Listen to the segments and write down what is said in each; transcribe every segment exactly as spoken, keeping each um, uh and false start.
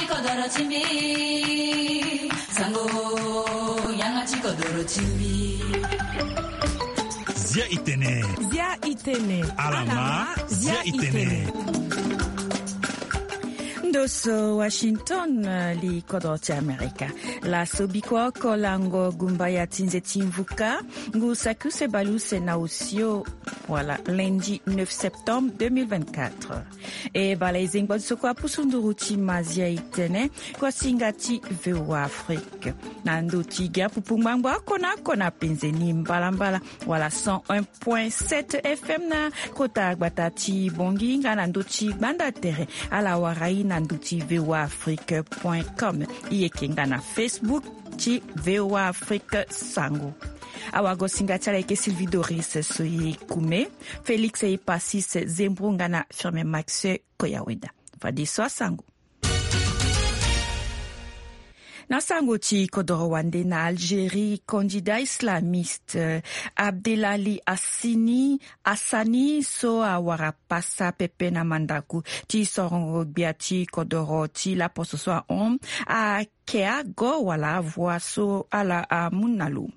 Kodoro ti mbi, sango, yanga ti kodoro ti mbi. Zia itene. Zia itene. Alama, zia itene. Ndo so Washington, eh, li kodoro ti Amerika. Laso biko oko lango gumbaya ti nze ti mvuka, ngu saki use bale use na osio, wala lundi neuf septembre deux mille vingt-quatre. E bala e zengba ti so kue apusu nduru ti mazia itene, kosinga ti V O A Afrique. Na ndo ti gi apupu ngbangbo oko na oko na penze ni mbalambala, wala cent un point sept F M na kota gbata ti Bongi nga na ndo ti gbanda tere, ala wara i na ndo ti V O A Afrique point com. I yeke nga na Facebook ti V O A Afrique Sango. Awagosinga ti ala yeke Sylvie Doris so ye kume, Félix Epasis Zembro nga na Firmin Max Koyaweda. Fadeso asango. Na sango ti kodoro wande na Algérie, candidat islamiste, eh, Abdelali Assini, Assani so awara pasa pepe na mandako ti sorongo gbia ti kodoro ti laposo so ahon, ake ago wala avoix so ala amu na lo.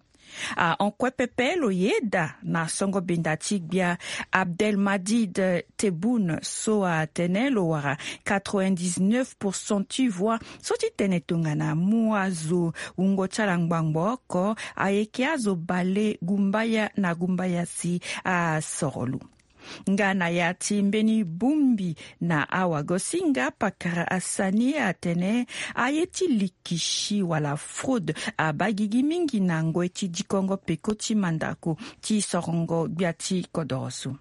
Ahon kue pepe lo yeda na songo benda ti gbia Abdelmadid Tebboune so atene lo wara quatre-vingt-dix-neuf pour cent ti voix so ti tene tongana mu azo wungo ti ala ngbangbo oko ayeke azo bale gumbaya na gumbaya si asoro lo. Nga na ya ti mbeni bongbi na awagosinga, pakara Assani atene aye ti likisi wala fraude abaa gigi mingi na ngoi ti dikongo peko ti mandako ti sorongo gbia ti kodoro so.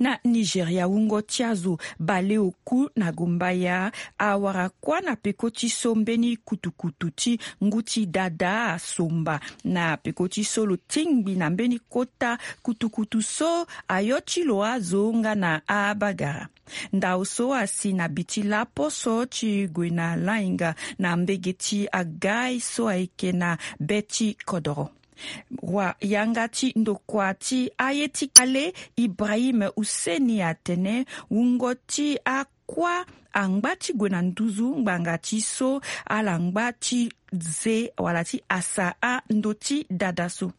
Na Nigeria, wungo ti azo bale oku na gumbaya awara kuâ na peko ti so mbeni kutukutu ti ngu ti dada asomba. Na peko ti so lo tingbi na mbeni kota kutukutu so ayo ti lo azo nga na abagara. Ndao so asi na bi ti laposo ti gue na lainga na mbege ti agaï so ayeke na be ti kodoro. Wa yanga ti ndokua ti aye ti kale, Ibrahim Husseini atene wungo ti akuâ angba ti gue na nduzu ngbanga ti so ala ngba ti ze wala ti asa ando ti dada so.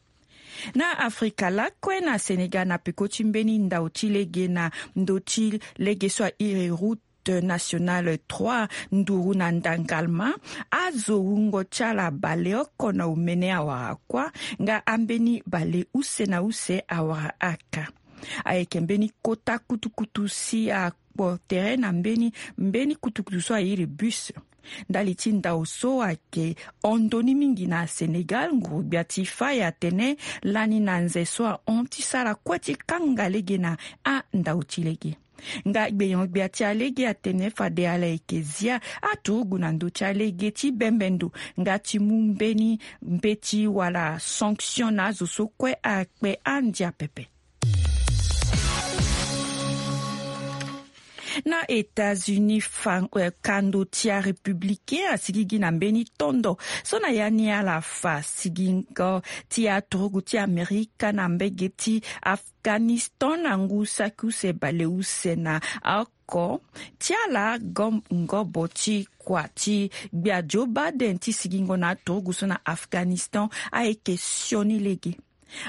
Na Afrika lakue, na Sénégal, na peko ti mbeni ndao ti lege na ndö ti lege so airi route nationale trois, nduru na ndangalma, azo wungo ti ala bale oko na omene awara kuâ, nga ambeni bale use na use awara aka. Ayeke mbeni kota kutukutu si akpo tere na mbeni, mbeni kutukutu so airi bus. Ndali ti ndao so ayeke hon ndoni mingi na Sénégal, nguru-gbia ti fai atene lani na nze so ahon ti sara kue ti kanga lege na andao ti lege. Nga gbenyo-gbia ti alege atene fade ala yeke zia aturugu na ndö ti alege ti bembe ndo nga ti mu mbeni mbeti wala sanction na azo so kue akpe andia pepe. Na États-Unis, fa, eh, kando ti arépublicain asigigi na mbeni tondo so na ya ni ala fa sigingo ti aturugu ti Amerika na mbege ti Afghanistan na ngu saki use bale use na oko. Ti ala gom-, ngobo ti kua ti gbia Joe Biden ti sigingo na aturugu so na Afghanistan ayeke sioni lege.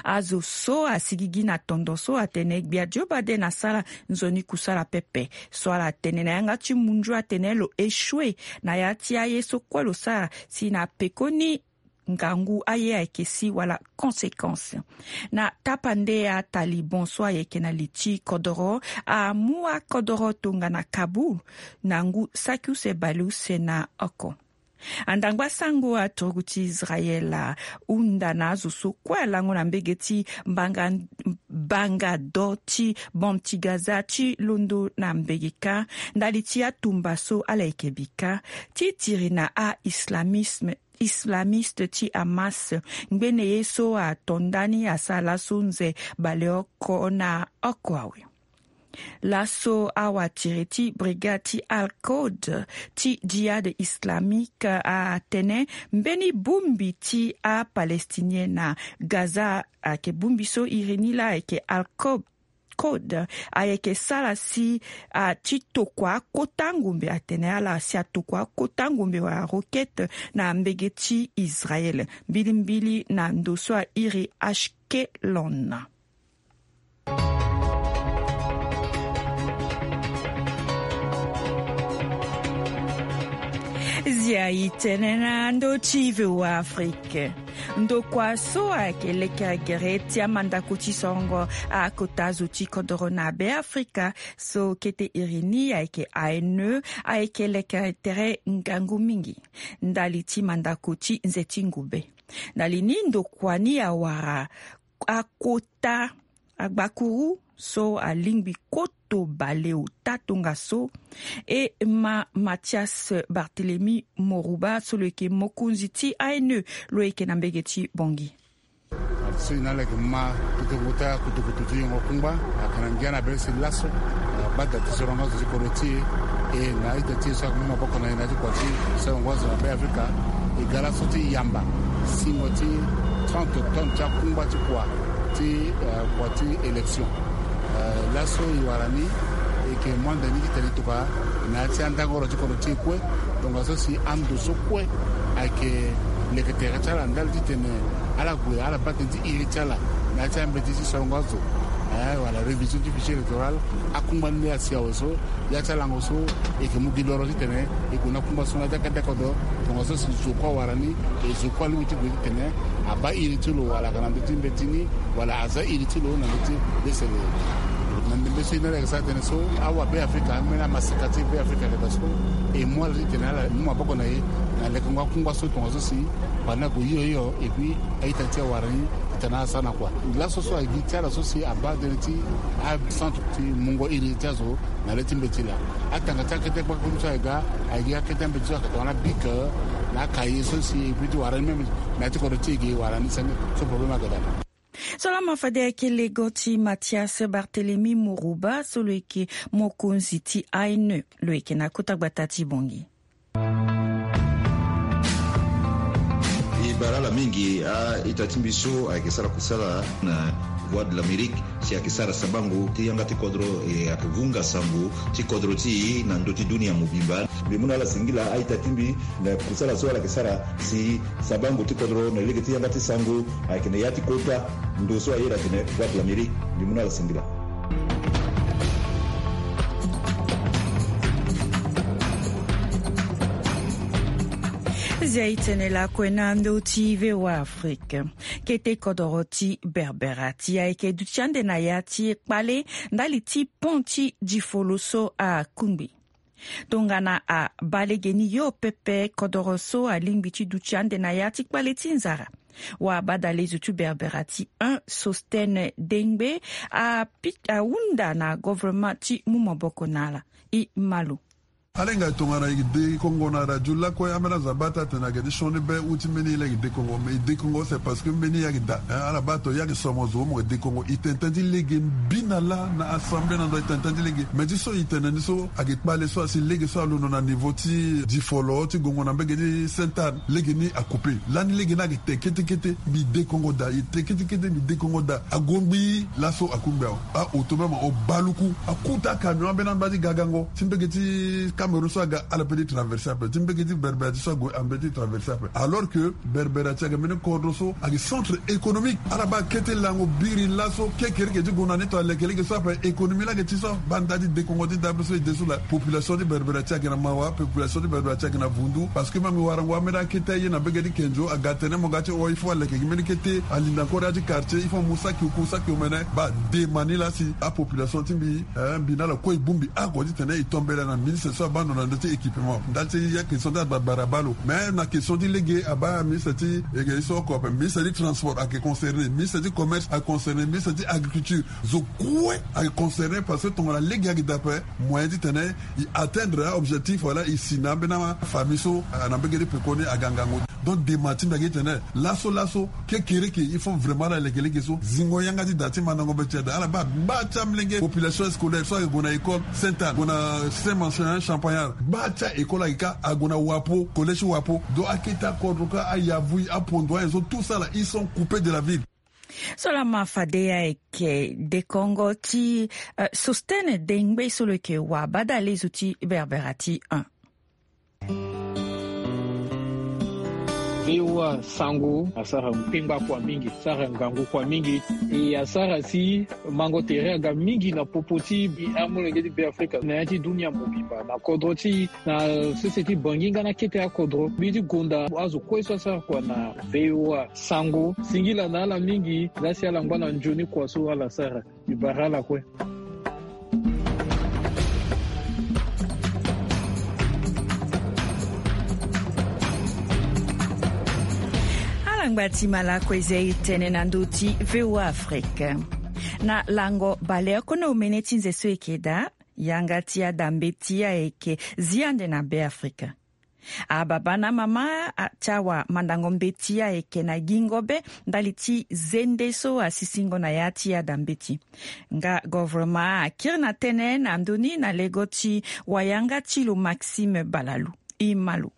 Azo so asigigi na tondo so atene gbia Joe Biden asara nzoni kusala pepe. So ala tene na yanga ti munzu atene lo échoué na ya ti aye so kue lo sara si na pekoni ngangu aye ayeke si wala conséquence. Na tapande ataliban so ayeke na li ti kodoro amu akodoro tongana Kaboul na ngu saki use bale use na oko. Andangba sango aturugu ti Israël ahunda na azo so kue alango na mbege ti mbanga, mbanga do ti bande ti Gaza ti londo na mbege kâ ndali ti atumba so ala yeke bi kâ ti tiri na a-islamisme, islamiste ti Hamas. Ngbene ye so ato ndani asara laso nze bale oko na oko awe. Laso awatiri ti brigade ti Al-Quds ti Jihad Islamique atene mbeni bongbi ti apalestinien na Gaza ayeke bongbi so iri ni laa ayeke Al-Quds, Code ayeke sara si a ti tokua akota ngombe, atene ala si atokua akota ngombe wala roquette na mbege ti Israël. Mbilimbili na ndo so a iri Ashkelon. Zia e tene na ndö ti V O A Afrique. Ndokua so ayeke lekere gere ti amandako ti sorongo akota zo ti kodoro na Beafrika so kete iri ni ayeke A N E ayeke lekere tere ngangu mingi ndali ti mandako ti nze ti ngube. Ndali ni ndokua ni awara akota agbakuru so alingbi koto baleota tongaso. E ma Mathias Barthélemy Morouba so lo yeke mokonzi ti A N E lo yeke na mbege ti Bangui. So e na ala yeke ma kutukutu ti kutukutu ti yongo kungba ayeke na ngia na be si laso abaa da ti sorongo azo ti kodro ti e. E na ita ti e so ayeke mu maboko na e na ya ti kua ti sorongo azo na Beafrika. E ga laso ti yamba singo ti trente tonnes ti akungba ti kua ti, eh, kua ti élection. Eh, laso e wara ni e yeke mu ande ni titene e tokua na ya ti andangoro ti kodro ti e kue. Tongaso si ando so kue ayeke leke tere ti ala ndali titene ala gue ala baa tënë ti iri ti ala na ya ti ambeti ti sorongo azo, eh, wala révision ti fichier électoral. Akungba ni laa asi awe so ya ti alango so e yeke mu gi loro titene e gue na kungba so na ya ti akete kodro. Tongaso si zo kue awara ni, e zo kue alingbi ti gue titene abaa iri ti lo wala ayeke na ndö ti mbeti ni wala aza iri ti lo na ndö ti lesele. Na ndembe so e na ala yeke sara tënë so awabeafrika ambeni amaseka ti beafrika ayeke daa so e mu ala titene ala mu maboko na e na lekengo akungba so tongaso si bana ague hio hio. Et puis a-ita ti e awara ni titene ala sara na kua. Laso so agi ti ala so si abaa tënë ti acentre ti mungo iri ti azo na le ti mbeti laa. Atanga ti akete gbakuru so ayeke ga, ayeke gi akete mbeti so ayeke tongana bic na akaye so si e puis ti wara ni même na ya ti kodro ti e ge e wara ni senge. So problème ayeke daa. So laa ma fade ayeke lego ti Mathias Barthélemy Morouba so lo yeke mokonzi ti A N E lo yeke na kota gbata ti Bangui. E bara ala mingi a-ita ti mbi so ayeke sara kusala na Voix de l'Amérique si ayeke sara sabango ti yanga ti kodro, e ayeke vunga sango ti kodro ti e na ndö ti dunia mobimba. Mbi mu na ala singila a-ita ti mbi na kusala so ala yeke sara si sabango ti kodro na lege ti yanga ti sango ayeke na ya ti kota ndo so ayeda atene Voix de l'Amérique. Mbi mu na ala singila. Zia e tene lakue na ndö ti V O A Afrique. Kete kodoro ti Berbera ti ayeke duti ande na ya ti kpale ndali ti pont ti Difolo so akungbi. Tongana abaa legeni yo pepe, kodoro so alingbi ti duti ande na ya ti kpale ti nzara. Wabadalezo ti Berbera ti un, Sostene Dengbe, api-, ahunda na governement ti mu maboko na ala. E ma lo. Ala hinga tongana e dekongo na radio lakue, ambeni azo abaa ti atene ayeke ti sioni be u ti mbeni ye laa e dekongo. Mais e dekongo c'est parce que mbeni ye ayeke daa. Hein, ala baa tongana e yeke somo zo mo yeke dekongo. E tene tënë ti lege mbi na laa na assemblée na ndo e tene tënë ti lege. Mais ti so e tene ni so ayeke kpale so asi lege so alondo na niveau ti Difolo ti gongo na mbege ti Sainte Anne. Lege ni acoupe. Lani lege ni ayeke te kete kete. Mbi dekongo daa. E te kete kete, mbi dekongo daa. Agongbi laso akungbi awe. A-oto même o baluku. Akota camion ambeni amba ti gagango ti mbege ti Cameroun so aga, ala pe ti traverser ape. Ti mbege ti Berbera ti so ague, ambe ti traverser ape. Alors que Berbera ti ayeke mbeni kodro so ayeke centre économique. Ala baa kete lango biri laso kekereke ti gue na ni tongana leke lege so ape. Économie laa ayeke ti so abaa nda ti dekongo ti dabe so e de so laa. Population ti Berbera ti ayeke na mawa, population ti Berbera ti ayeke na vundu. Parce que même warango ambeni akete aye na mbege ti Kenzo aga tene mo ga ti o, il faut aleke gi mbeni kete, alinda encore ya ti quartier, il faut mu saki oku, saki omene. Baa dema ni laa si apopulation ti mbi, eh, mbi na ala kue e bongbi oko titene e tombela na ministre so abaa ndo na ndö ti équipement. Ndali ti ya question ti agbara abaa lo. Mais na question ti lege abaa ministre ti ege ye so oko ape, ministre ti transport ayeke concerné, ministre ti commerce ayeke concerné, ministre ti agriculture. Zo kue ayeke concerné parce que tongana lege ayeke daa ape, moyen titene e atteindre a-objectif wala e si na ambeni afamille so, ah, na mbege ti pekoni aga ngangu. Donc dema ti mbi ayeke titene laso laso kekereke il faut vraiment ala leke lege so zingo yanga ti da ti mandango mbeti ti ada. Ala baa gba ti amolenge population scolaire so ayeke gue na école Sainte Anne, gue na Saint Marcelin Champagnard, gba ti a-école ayeke kâ, ague na Wapo, collège Wapo. Donc akete akodro kâ, ayavui, apondo aye so, tout ça là, ils sont coupés de la ville. So lama fade ayeke dekongo ti, eh, Sostene Dengbe so lo yeke wa badale zo ti Berbera ti un. V O A Sango asara kpengba kua mingi, asara ngangu kua mingi. E asara si mango tere aga mingi na popo ti amolenge ti Beafrika na ya ti dunia mobimba na kodro ti na sese ti Bangi nga na kete akodro. Mbi ti gonda azo kue so asara kua na V O A Sango. Singila na ala mingi, laa si ala ngba na nzoni kua so ala sara. Mbi bara ala kue. Ala ngba ti ma lakue zia e tene na ndö ti V O A Afrique. Na lango baleoko na omene ti nze so e yeke daa, yanga ti ada mbeti ayeke zi ande na Beafrika. Ababa na amama ti awamandango mbeti ayeke na gingo be ndali ti zende so asisingo na ya ti ada mbeti. Nga govoroma akiri na tënë na ndö ni na lego ti wayanga ti lo Maxime Balalu. E ma lo.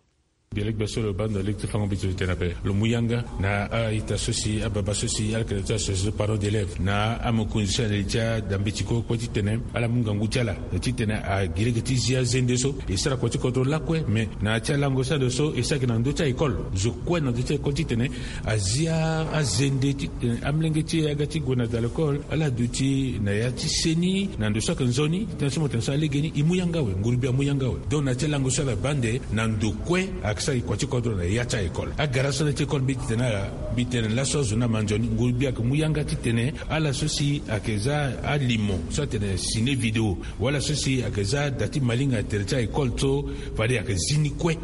Gbelegbe so lo baa ndo lege ti fango mbeti lo tene ape. Lo mu yanga na a-ita so si ababa so si ala yeke na ya ti association parents d'élèves na amokonzi so ala li ti ada mbeti kue kue titene ala mu ngangu ti ala titene agi lege ti zi azende so. E sara kua ti kodro lakue, me na ya ti alango so ando so e sara gi na ndö ti a-école. Zo kue na ndö ti a-école titene azi azende titene amolenge ti e aga ti gue na da l'école, ala duti na ya ti seni na ndo so ayeke nzoni titene so mo tene so alege ni e mu yanga awe, ngurugbia amu yanga awe. Donc na ya ti alango so ala baa ande na ndo kue ayeke sara gi kua ti kodro na ya ti a-école. Agara so na ya ti école mbi titene ala mbi tene laso azo ni ama nzoni, ngurugbia ayeke mu yanga titene ala so si ayeke za alimo so atene ciné vidéo, wala so si ayeke za da ti malinga tere ti a-école so fade ayeke zi ni kue.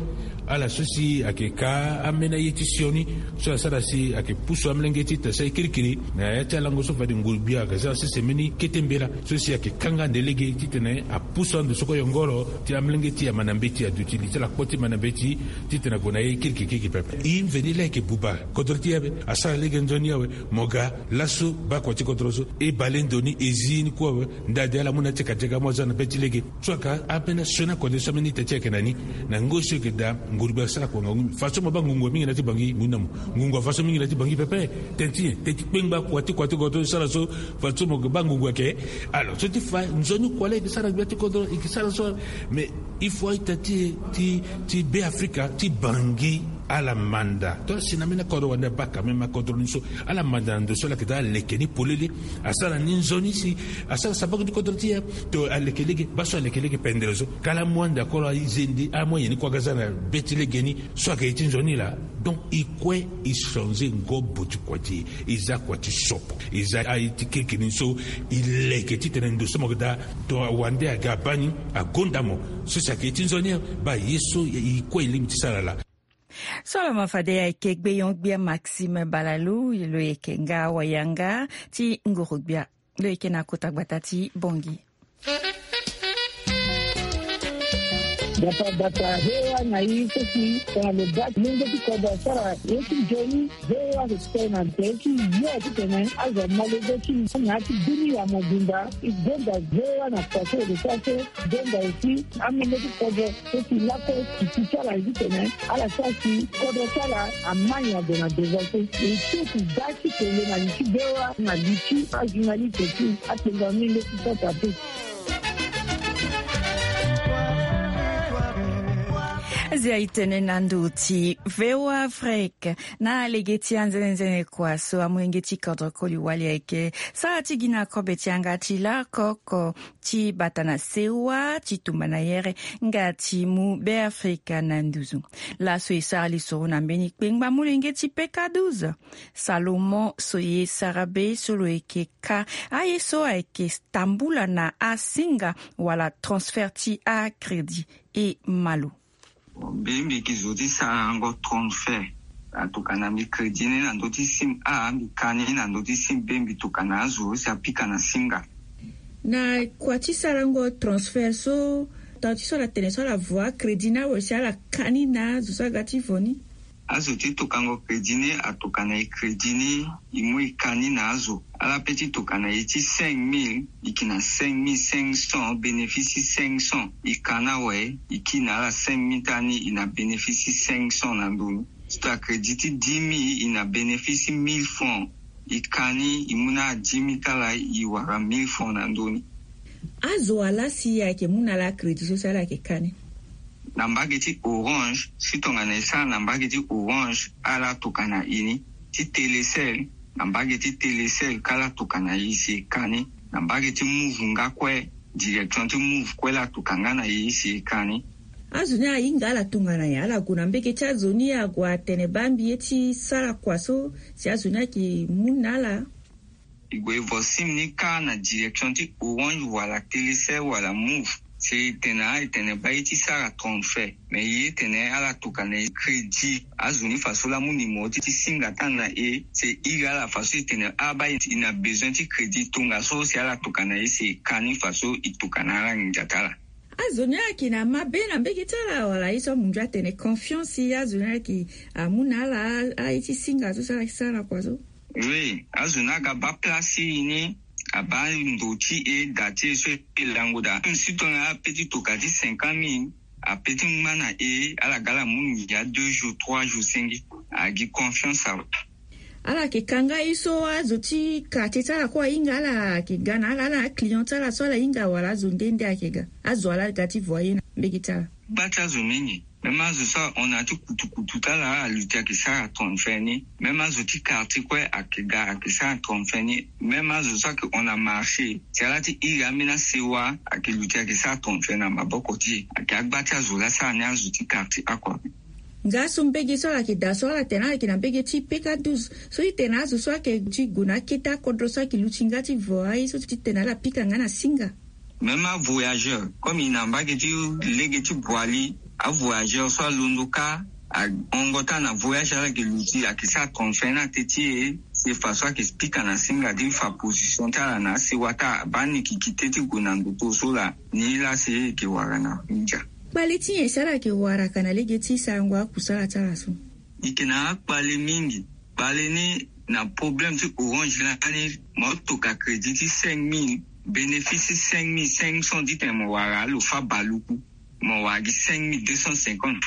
Ala so si ayeke ka ambeni aye ti sioni so asara si ayeke pusu amolenge ti tene so aye kirikiri na ya ti alango so fade ngurugbia ayeke za sese mbeni kete mbela so si ayeke kanga ande lege titene apusu ando so kue yongoro ti amolenge ti e ama na mbeti, aduti li ti ala kpo ti ma na mbeti titene ague na ye kirikiri kirikiri pepe. E mveni laa ayeke buba kodro ti e ape, asara lege nzoni awe. Mo ga laso baa kua ti kodro so e bale ndo ni e zi ni kue awe. Ndade ala mu na ya ti kadiaka amu aza na be ti lege. So ayeke ambeni asioni akode so ambeni ita ti e ayeke na ni. Na ngoi so e yeke daa ngurugbia asara kua ngangu mingi. Fadeso mo baa ngungu mingi na ya ti Bangi, ngu na mo. Ngungu afa so mingi na ya ti Bangi pepe. Tene ti nyen? Tene ti kpengba kua ti kua ti kodro e sara so. Fadeso mo yeke baa ngungu ayeke. Alors so ti fa nzoni kua laa e yeke sara gbia ti kodro e yeke sara so. Mais il faut a-ita ti e ti ti Beafrika ti Bangi ala manda. To asi na ambeni akodro wande abaa quand même akodro ni so. Ala manda na ndo so ala yeke daa aleke ni polele. Asara ni nzoni si asara sabaku ti kodro ti e. To aleke lege baa so aleke lege pendere so. Kala amu ande akoro azende amu aye ni kue aga za na be ti lege ni. So ayeke ye ti nzoni laa. Donc e kue e changer ngobo ti kua ti e. E za kua ti sopo. E za aye ti kirikiri ni so e leke titene ndo so mo yeke daa. To awande aga abaa ni agonda mo. So si ayeke ye ti nzoni baa ye so e kue e lingbi ti sara laa. So lo ma fade ayeke gbeyon-gbia Maxime Balalu, lo yeke nga wayanga ti nguru-gbia. Lo yeke na kota gbata ti Bongi. Gbata gbata, V O A na e so si tongana lo baa lenge ti kodro asara ye ti nzoni, V O A ayeke tene na tere ti yo titene azo ama lege ti na ya ti dunia mobimba. E gonda V O A na kua so e yeke sara so. Donda aussi amolenge ti kodro so si lakue e ti ti ala ye titene ala sara si kodro ti ala ama nyen ague na devant so. E ti e ti da ti tene na li ti V O A na li ti ajournaliste ti akpengba amolenge ti kota pe. Azia e tene na ndo ti V O A Afrique na lege ti anzenenzene kua so amolenge ti kodro koli wali ayeke sara ti gi na kobe ti yanga ti lakoko ti bata na sewa ti tumba na yere nga ti mu Beafrika na nduzu. Laso e sara lisoro na mbeni kpengba molenge ti peka douze, Salomon Soye Sarabe so lo yeke ka aye so ayeke tambula na asinga wala transfert ti acrédit. E ma lo. Mbi mbi yeke zo ti sarango transfert. Atokana mbi crédit ni na ndö ti sim a, mbi ka ni na ndö ti sim be, mbi tokana azo si apika na singa. Na kua ti sarango transfert so, tanga ti so ala tene so ala voa crédit ni awe si ala ka ni na azo so aga ti vo ni? Azo ti tokango crédit ni atokana e crédit ni e mu e ka ni na azo. Ala pe ti tokana e ti cinq mille e yeke na cinq mille cinq cents, bénéfice ti cinq cents. E ka ni awe e kiri na ala cinq mille ti ala ni e na bénéfice ti cinq cents na ndo ni. Ti to acrédit ti dix mille e na bénéfice ti mille francs. E ka ni, e mu na ala dix mille ti ala, e wara mille francs na ndö ni. Azo wa laa si ayeke mu na ala crédit so si ala yeke ka ni? Na mbage ti Orange, si tongana e sara na mbage ti Orange, ala tokana e ni. Ti Télécel, na mbage ti Télécel kâ ala tokana e si e ka ni. Na mbage ti Moov nga kue, direction ti Moov kue, ala toka nga na e si e ka ni. Azo ni ahinga ala tongana nyen? Ala gue na mbage ti azo ni, ague atene baa mbi ye ti sara kua so si azo ni ayeke mu na ala? E gue e vo sim ni kâ na direction ti Orange wala Télécel wala Moov. Si e tene, e tene baa ye ti sara transfert. Mais e ye tene ala tokana e crédit. Azo ni faso laa amu numéro ti, ti singa ti ala na e, si e iri ala faso e tene, ah, baa e na besoin ti crédit tongaso, si ala tokana e si e ka ni faso e tokana ala nginza ti ala. Azo ni ayeke na mabe na mbage ti ala, wala ye so amunzu atene confiance, azo ni ayeke amu na ala aye ti singa so si ala yeke sara kua so? Oui, azo ni aga baa place ti e ni, abaa ndo ti e, da ti e so e lango daa. Si tongana ala pe ti toka ti cinquante mille, ape ti ngba na e, ala ga ala mu nginza deux jours, trois jours senge. Agi confiance awe. Ala yeke ka nga ye so azo ti quartier ti ala kue ahinga ala, ayeke ga na ala, ala na aclient ti ala so ala hinga, wala azo nde nde ayeke ga? Azo wa laa aga ti vo aye na mbage ti ala? Gba ti azo mingi. Même azo so ahon na ya ti kutukutu ti ala, aluti ayeke sara transfert ni. Même azo ti quartier kue ayeke ga, ayeke sara transfert ni. Même azo so ayeke hon na marché, si ala ti iri ambeni asewa, ayeke luti ayeke sara transfert na maboko ti e. Ayeke agba ti azo laa asara ni, azo ti quartier oko. Nga so mbage so ala yeke daa so, ala tene ala yeke na mbage ti P K douze. So ti tene azo so ayeke ti gue na akete akodro so ayeke luti nga ti vo aye so ti tene ala pika nga na singa. Même avoyageur, comme e na mbage ti lege ti Boali, avoyageur so alondo kâ, ahongo ti ala na voyage, ala yeke luti, ayeke sara transfert na teti e. Si faso ayeke pika na singa ti fa position ti ala na asewa ti ala, baa ni yeke kite ti gue na ndoto so laa, ni laa si e yeke wara na nginza. Kpale ti nyen si ala yeke wara ka na lege ti sarango akusala ti ala so? E yeke na akpale mingi. Kpale ni na problème ti Orange lani, mo toka crédit ti cinq mille, bénéfice ti cinq mille cinq cents ti tene mo wara, alo fâ baluku, mo wara gi cinq mille deux cent cinquante.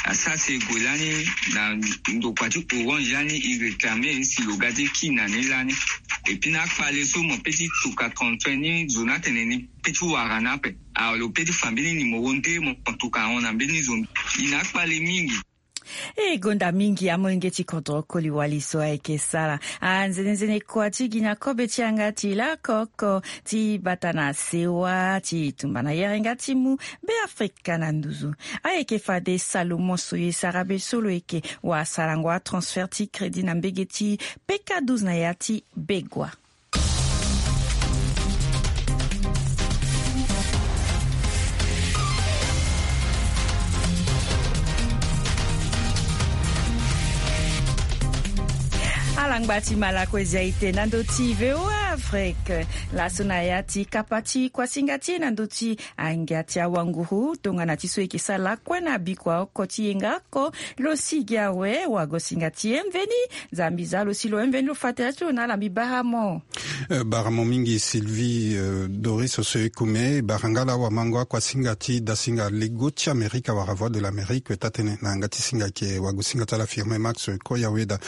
Asara si e gue lani na ndokua ti Orange lani, e réclamer si lo ga ti ki na ni lani. Et puis na akpale so mo pe ti toka transfert ni, zo ni atene ni pe ti wara ni ape. Alors lo pe ti fa mbeni numéro nde mo toka ahon na mbeni zo ni. E na akpale mingi. E gonda mingi amolenge ti kodro koli wali so ayeke sara anzenenzene kua ti gi na kobe ti yanga ti lakoko ti bata na sewa ti tumba na yere nga ti mu Beafrika na nduzu. Ayeke fade Salomon so ye sara be so lo yeke wasarango atransfert ti crédit na mbege ti P K douze na ya ti Begua. Alangba ti Malakozi aye te na ndö ti V O A Afrique. Laso na ya ti kapa ti kuasinga ti e na ndö ti angia ti awanguru tongana ti so e yeke sara lakue na bikua oko ti yenga oko. Lo sigi awe, wagosinga ti e mveni. Nzambi za lo si lo mveni, lo fa tere ti lo na ala. Mbi bara mo. Eh, bara mo mingi Sylvie, eh, Doris Ossoé-Koume. Bara nga laa wamango akuasinga ti dasinga lego ti Amerika wala Voix de l'Amérique, taa tënë na yanga ti singa ayeke wagosinga ti ala Firmin Max Koyaweda.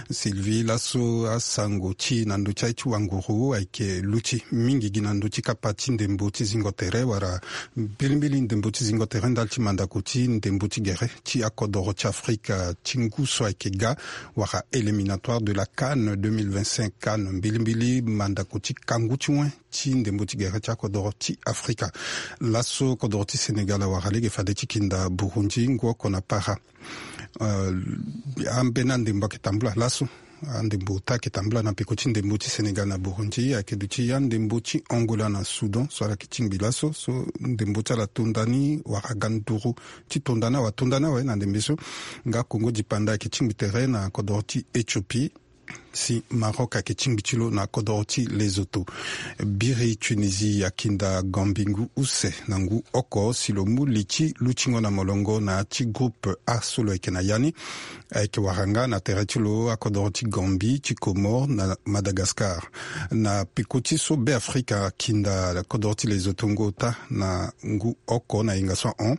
Sylvie, laso asango ti e na ndö ti aye ti wanguru ayeke luti mingi gi na ndö ti kapa ti ndembo ti zingo tere wala mbilimbili ndembo ti zingo tere ndali ti mandako ti ndembo ti gere ti akodoro ti Afrika ti ngu so ayeke ga, wala éliminatoire de la CAN deux mille vingt-cinq, CAN, mbilimbili mandako ti kangu ti wen ti ndembo ti gere ti akodoro ti Afrika. Laso kodoro ti Sénégal awara lege fade ti kinda Burundi ngu oko na para. Eh, ambeni andembo ayeke tambula laso. Andembo ota ayeke tambula na peko ti ndembo ti Sénégal na Burundi, ayeke duti andembo ti Angola na Soudan so ala yeke tingbi laso, so ndembo ti ala tonda ni wala ga nduru ti tonda ni awe, atonda ni awe na ndembe so. Nga Congo Dipanda ayeke tingbi tere na kodoro ti Éthiopie. Si Maroc ayeke tingbi ti lo na kodoro ti Lesotho. Biri Tunisie akinda Gambie ngu use na ngu oko si lo mu li ti lutingo na molongo na ya ti groupe A so lo yeke na ya ni. Ayeke wara nga na tere ti lo akodoro ti Gambie, ti Comores na Madagascar. Na peko ti so Beafrika akinda kodoro ti Lesotho ngu ota na ngu oko na yenga so ahon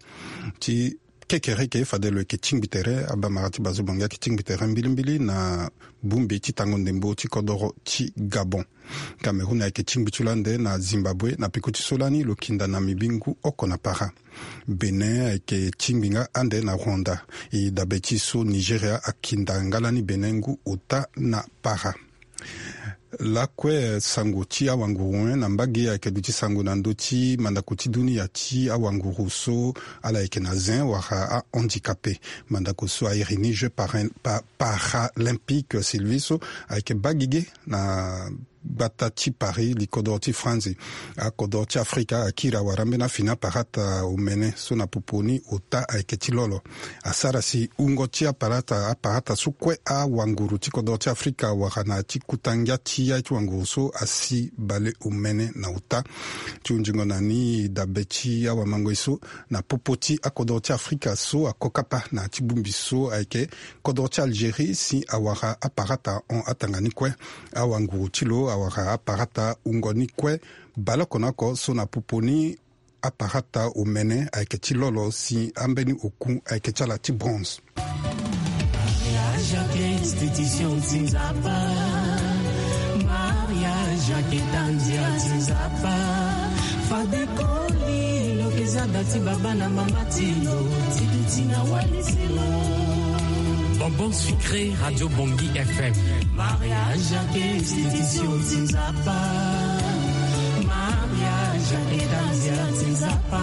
ti kekereke fade lo yeke tingbi tere. Abamara ti bazo bongi ayeke tingbi tere mbilimbili na bongbi ti tango ndembo ti kodoro ti Gabon. Cameroun ayeke tingbi ti lo ande na Zimbabwe na peko ti so lani lo kinda na mibi ngu oko na para. Bénin ayeke tingbi nga ande na Rwanda. E dabe ti so Nigeria akinda nga lani Bénin ngu ota na para. Lakue sango ti awanguru, eh, na mbage ayeke duti sango na ndö ti mandako ti dunia ti awanguru so ala yeke na zin wala ahandicapé. Mandako so airi ni Jeux para, pa, paralympique Sylvie so ayeke baa gigi na gbata ti Paris, li kodoro ti Franzi. Akodoro ti Afrika akiri awara ambeni afini aparata omene so na popo ni ota ayeke ti lolo. Asara si wungo ti aparata, aparata so kue awanguru ti kodoro ti Afrika awara na ya ti kuta ngia ti ya ti wanguru so asi bale omene na ota. Ti hunzingo na ni dabe ti awamangoi so na popo ti akodoro ti Afrika so akokapa na ya ti bongbi so ayeke kodro ti Algérie si awara aparata hon atanga ni kue. Awanguru ti lo awara aparata wungo ni kue. Baleoko na oko so na popo ni aparata omene ayeke ti lolo si ambeni oku ayeke ti ala ti bronze. Mariage ayeke institution ti Nzapa. Mariage ayeke ta nzia ti Nzapa. Fade koli lo yeke zia da ti baba na mama ti lo ti duti na walisi lo. Bonbon sucré, Radio Bongi F M. Mariage ayeke institution ti Nzapa. Mariage ayeke ta nzia ti Nzapa.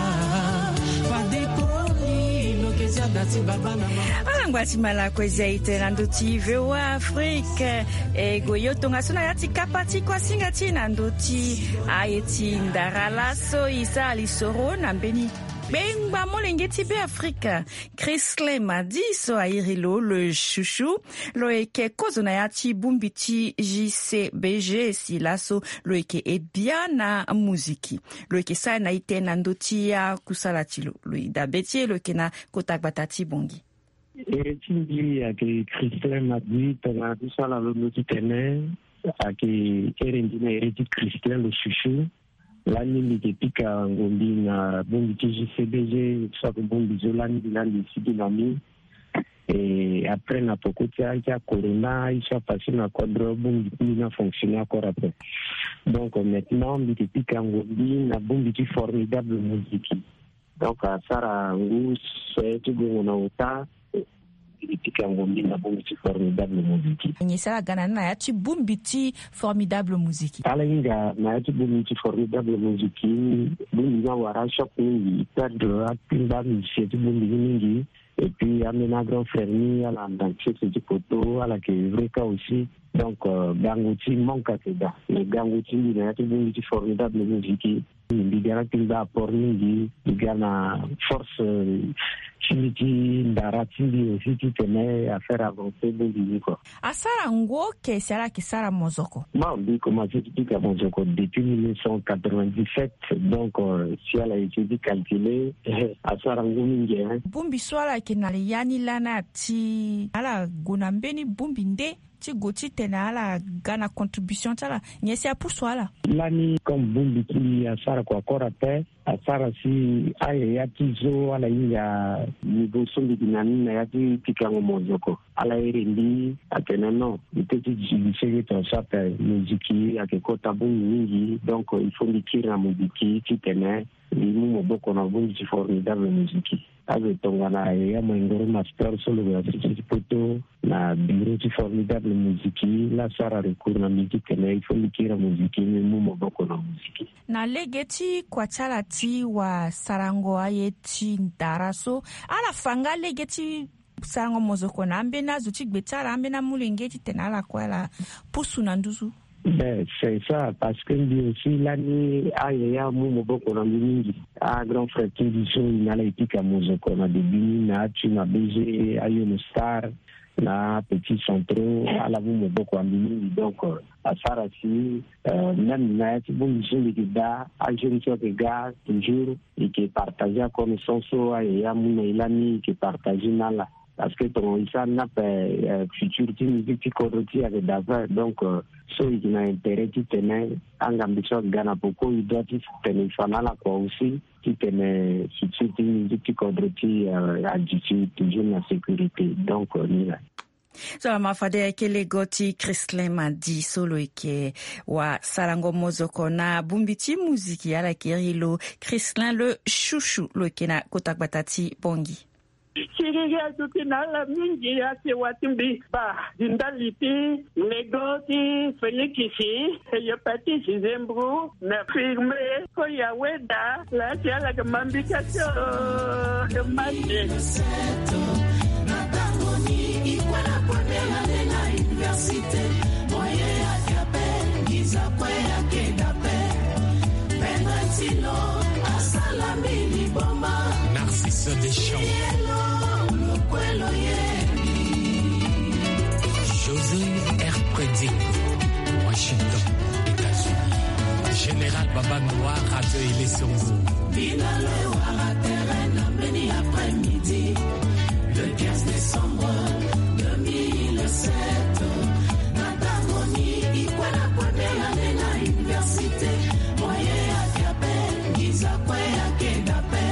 Fade koli lo yeke zia da ti baba na mama. Ala ngba ti malako e zia e tene na ndö ti V O A Afrique. E gue yo tongaso na ya ti kapa ti kuasinga ti e na ndö ti aye ti ndara laso e sara lisoro na mbeni Bengba molenge ti Beafrika, Christlin Madi so airi lo le chouchou, lo yeke kozo na ya ti bongbi ti J C B G si laso lo yeke edia na muziki. Lo yeke sara na ite na ndö ti akusala ti lo. Lo dabe ti e lo yeke na kota gbata ti Bongi. Ere ti mbi ayeke Christlin Madi, tongana ti so ala londo titene ayeke ere mbi na ere ti Christlin le chouchou. Lani mbi yeke pika ngombi na bongbi ti J C B G, soit bongbi so lani mbi lani mbi sigi na ni. Et après na poko ti aye ti acorona, aye so apassé na kodro, bongbi ti mbi ni afonctionner encore après. Donc maintenant mbi yeke pika ngombi na bongbi ti Formidable Musique. Donc asara ngu so ti gongo na ota. Mbi yeke pika ngombi na bongbi ti Formidable Musique. Nyen si ala ga na ni na ya ti bongbi ti Formidable Musique? Ala hinga na ya ti bongbi ti Formidable Musique, bongbi ni awara choc mingi, perdre akpingba musicien ti bongbi ni mingi. Et puis ambeni grand frère ni ala na sese ti poto, ala yeke vrai cas aussi. Donc euh, gango ti manque ayeke daa. Mais gango ti mbi na ya ti bongbi ti Formidable Musique, mbi ga na kpingba apport mingi, mbi ga na force, euh, ti mbi ti ndara ti mbi aussi titene a faire avancer bongbi ni quoi. Asara ngu oke si ala yeke sara mozoko? Bon, mbi commencé ti pika mozoko depuis mille neuf cent quatre-vingt-dix-sept, donc euh, si ala essayer ti calculer, asara ngu mingi, hein. Bongbi so ala yeke na ya ni lani ati ala gue na mbeni bongbi nde ti gue titene ala ga na contribution ti ala, nyen si apusu ala? Lani comme bongbi ti mbi asara kua kora ape, asara si ayaya ti zo ala hinga. Niveau so mbi yeke na ni na ya ti pikango mozoko, ala iri mbi atene non, mbi peut ti zi mbi senge tongaso ape. Moziki ayeke kota bongbi mingi, donc il faut mbi kiri na moziki titene mbi mu maboko na bongbi ti Formidable Musique. Azo tongana yaya Maingoro Master so lo yeke na sese ti poto na bureau ti Formidable Musique, la asara recours na mbi titene il faut mbi kiri na moziki, mbi mu maboko na moziki. Na lege ti kua ti ala ti wasarango aye ti ndara so, ala fa nga lege ti sarango mozoko na ambeni azo ti gbe ti ala, ambeni amolenge titene ala kue ala pusu na nduzu? Ben, c'est ça, parce que mbi aussi lani ayaya amu maboko na mbi mingi. A grand frère ti mbi so e na ala e pika mozoko na début ni, na atu na B G, ayo na star, na petit centraux, ala mu maboko na mbi mingi. Donc euh, asara si euh, même na ya ti bongbi so mbi yeke daa, ajeune so ayeke ga toujours, e yeke partager aconnaissance so ayaya amu na e lani, e yeke partager na ala. Parce que tongana e sara ni ape, euh, futur ti musique ti kodro ti e ayeke daa ape. Donc euh, so e yeke na intérêt titene angambi so aga na poko e doit titene e fa na ala kua aussi, titene Ti ti musique ti kodro ti, euh, adi ti toujours na sécurité. Donc, euh, ni la. So ama fade ayeke lego ti Christlin Madi so lo yeke wasarango mozoko na bongbi ti muziki, ala yeke iri lo Christlin le Chouchou, lo yeke na kota gbata ti Bangui. Siriri aduti na ala mingi, asi wa ti mbi ba di ndali ti lego ti Félix, e yo Patrice Zembro na Firme Koya Weda, la asi ala ga mambika tio. Mande. Na tango ni ikwe na première année na université, moyen ya kiape ngiza kwe ya keda pe. Pedro Tilo asala mbi liboma. Narcisse Deschamps. Yelo, lokwelo ye. José R. Preding, Washington, États-Unis. Général Baba Noir, Radio Elesongo. Bina le wara terrain na mbeni après-midi, le quinze décembre deux mille sept. Na tango ni ikwe na première année na université, moyen ya kiape ngiza kwe ya keda pe.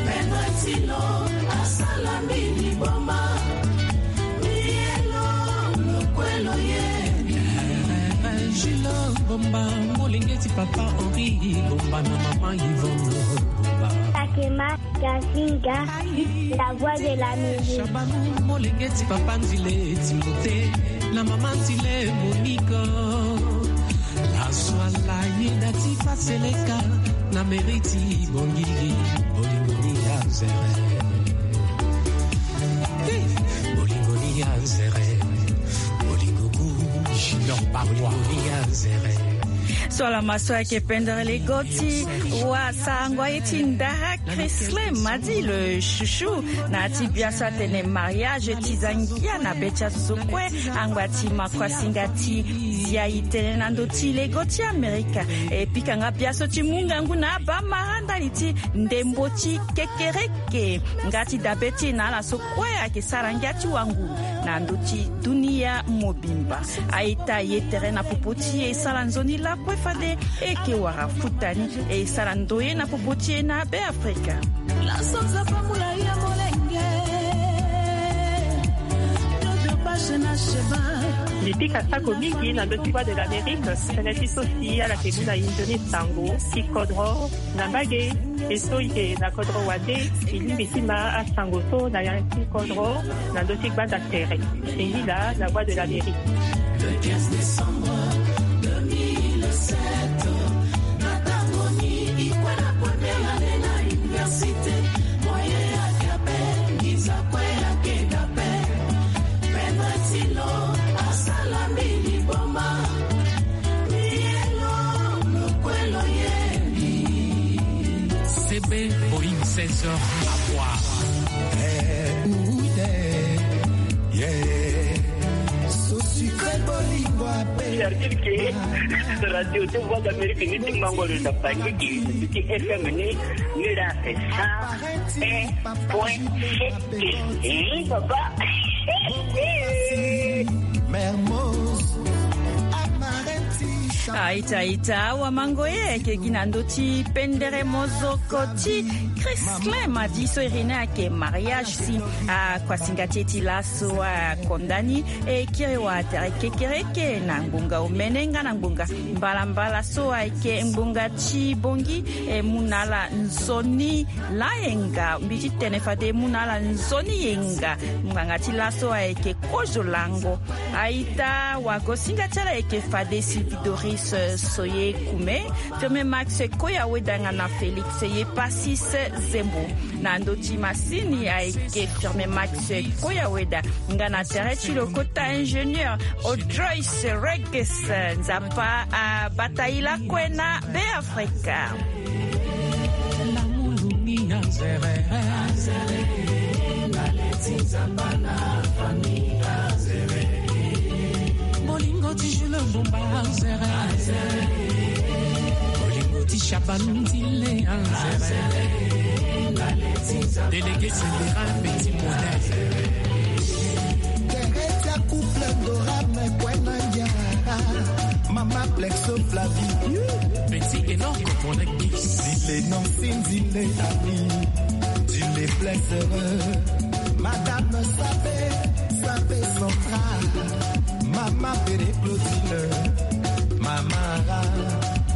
Pedro Tilo asala mbi liboma. Yelo, lokwelo ye. Jules Bomba, molenge ti papa Henri Bomba na mama Yvonne Bomba. Takema Gazinga, la voix de la musique. Shabanou, molenge ti papa Nzile Timothée na mama Nzile Monique. Laso ala yeda ti Paseleka na mairie ti Bangui, bolingo ni ya nzere. Hey, bolingo ni ya nzere. Bolingo gu. Junior Barwa. Bolingo ni ya nzere. So ala ma so ayeke pendere lego ti wasarango aye ti ndara Christlin Madi le Chouchou, na ya ti bia so atene mariage ti zangia na be ti azo so kue, angba ti ma kuasinga ti zia e tene na ndö ti lego ti Amerika. E pika nga bia so ti mu ngangu na abamara ndali ti ndembo ti kekereke. Nga ti dabe ti e na ala so kue ayeke sara ngia ti wanguru na ndö ti dunia mobimba. A-ita, ye tere na popo ti e, e sara nzoni lakue fade e yeke wara futa ni, e sara ndoye na popo ti e na Beafrika. Laso Nzapa mula ya molenge. Dodo Bashe na Sheba. Mbi pika sako mingi na ndö ti Voix de l'Amérique, tënë ti so si ala yeke mu na e nzoni sango ti kodro na mbage. E so e yeke na kodro wande, e lingbi ti ma asango so na ya ti kodro na ndö ti gbanda tere. E ngi laa na Voix de l'Amérique. Le quinze décembre deux mille sept, na tango ni ikwe na première année na université, moyen ya kiape ngiza kwe ya keda pe. Pedro Tilo asala mbi liboma. Yelo, lokwelo ye. C B Boeing seize heures à voir. Eh, ouh, yeah, yeah. So sucré bolingo ape. C'est-à-dire que radio de Voix d'Amérique ni ti mango le na pangi ki, ti F M ni, ni la c'est ça. Un point sept. Eh, papa. Mermoz. A-ita, a-ita, awamango ye, e yeke gi na ndö ti pendere mozoko ti Christlin Madi so iri ni ayeke mariage si akuasinga ti e ti laso akonda ni, e kiri wala tere kekereke na ngbonga omene nga na ngbonga mbalambala so ayeke ngbonga ti bongi, e mu na ala nzoni layenga, mbi ti tene fade e mu na ala nzoni yenga. Ngbanga ti laso ayeke kozo lango. A-ita, wagosinga ti ala ayeke fade Sylvie Doris, eh, Soye Kume, Firmin Max Koya Weda nga na Félix Yepasis Zembo. Na ndö ti masini ayeke Firmin Max Koya Weda nga na tere ti lo kota ingénieur Audrois Reges. Nzapa abata e lakue na Beafrika. Bolingo ti Jules Bomba, nzere. Bolingo ti Shaban Ndile, nzere. Délégué général, petit modèle. Teresa couple Dora me kue na ndia. Mama Plexo Flavie. Petit Enoch, mon ex. Dile non, si dile ami. Dile plaisir. Madame Sabé, Sabé Central. Mama Péré Claudine. Mama Ra.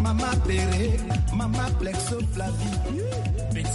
Mama Péré. Mama Plexo Flavie.